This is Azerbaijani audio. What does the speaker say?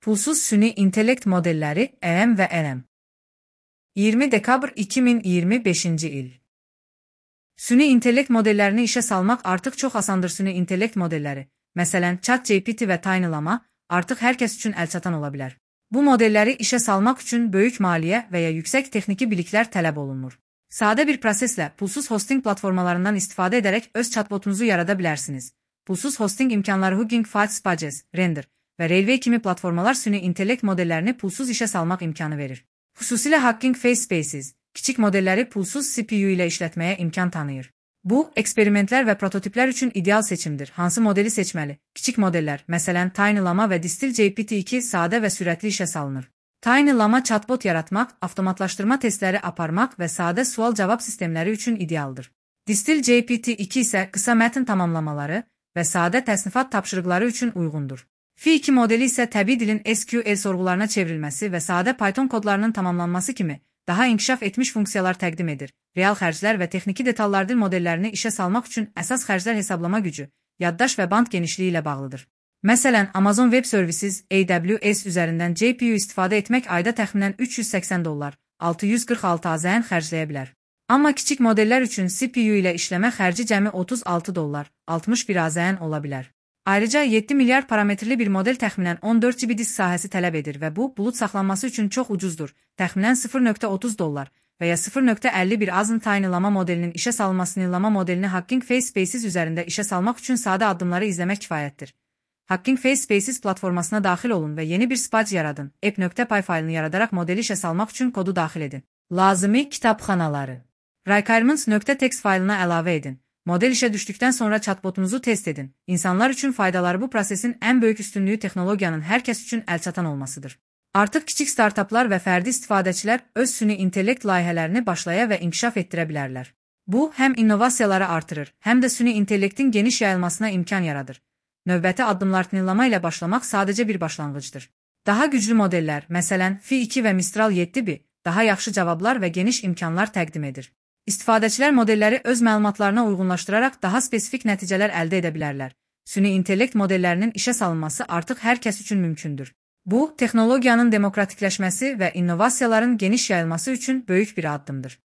Pulsuz süni intellekt modelləri EM və LM. 20 dekabr 2025 il. Süni intellekt modellərini işə salmaq artıq çox asandır. Süni intellekt modelləri, məsələn, ChatGPT və Tiny artıq hər kəs üçün əlçatan ola bilər. Bu modelləri işə salmaq üçün böyük maliyyə və ya yüksək texniki biliklər tələb olunmur. Sadə bir proseslə pulsuz hosting platformalarından istifadə edərək öz chatbotunuzu yarada bilərsiniz. Pulsuz hosting imkanları Hugging Face, Pages, Render və Railway kimi platformalar süni intellekt modellərini pulsuz işə salmaq imkanı verir. Xüsusilə Hugging Face Spaces, kiçik modelləri pulsuz CPU ilə işlətməyə imkan tanıyır. Bu, eksperimentlər və prototiplər üçün ideal seçimdir. Hansı modeli seçməli? Kiçik modellər, məsələn, Tiny və Distil GPT-2 sadə və sürətli işə salınır. Tiny chatbot yaratmaq, avtomatlaşdırma testləri aparmaq və sadə sual-cavab sistemləri üçün idealdır. Distil GPT-2 isə qısa mətn tamamlamaları və sadə təsnifat tapşırıqları üçün uyğundur. Fi2 modeli isə təbii dilin SQL sorğularına çevrilməsi və sadə Python kodlarının tamamlanması kimi daha inkişaf etmiş funksiyalar təqdim edir. Real xərclər və texniki detallar dil modellərini işə salmaq üçün əsas xərclər hesablama gücü, yaddaş və band genişliyi ilə bağlıdır. Məsələn, Amazon Web Services AWS üzərindən GPU istifadə etmək ayda təxminən $380, 646 AZN xərcləyə bilər. Amma kiçik modellər üçün CPU ilə işləmə xərci cəmi $36, 61 AZN ola bilər. Ayrıca 7 milyar parametrli bir model təxminən 14 GB disk sahəsi tələb edir və bu, bulut saxlanması üçün çox ucuzdur, təxminən $0.30 və ya $0.51 azın Tiny modelinin işə salınmasını Llama modelini Hugging Face Spaces üzərində işə salmaq üçün sadə addımları izləmək kifayətdir. Hugging Face Spaces platformasına daxil olun və yeni bir spadge yaradın. app.py faylını yaradaraq modeli işə salmaq üçün kodu daxil edin. Lazımi kitabxanaları. Requirements.txt faylına əlavə edin. Model işə düşdükdən sonra chatbotunuzu test edin. İnsanlar üçün faydaları bu prosesin ən böyük üstünlüyü texnologiyanın hər kəs üçün əlçatan olmasıdır. Artıq kiçik startaplar və fərdi istifadəçilər öz süni intellekt layihələrini başlaya və inkişaf etdirə bilərlər. Bu, həm innovasiyaları artırır, həm də süni intellektin geniş yayılmasına imkan yaradır. Növbəti addımlar Llama ilə başlamaq sadəcə bir başlanğıcdır. Daha güclü modellər, məsələn, Fi2 və Mistral 7B, daha yaxşı cavablar və geniş imkanlar təqdim edir. İstifadəçilər modelləri öz məlumatlarına uyğunlaşdıraraq daha spesifik nəticələr əldə edə bilərlər. Süni intellekt modellərinin işə salınması artıq hər kəs üçün mümkündür. Bu, texnologiyanın demokratikləşməsi və innovasiyaların geniş yayılması üçün böyük bir addımdır.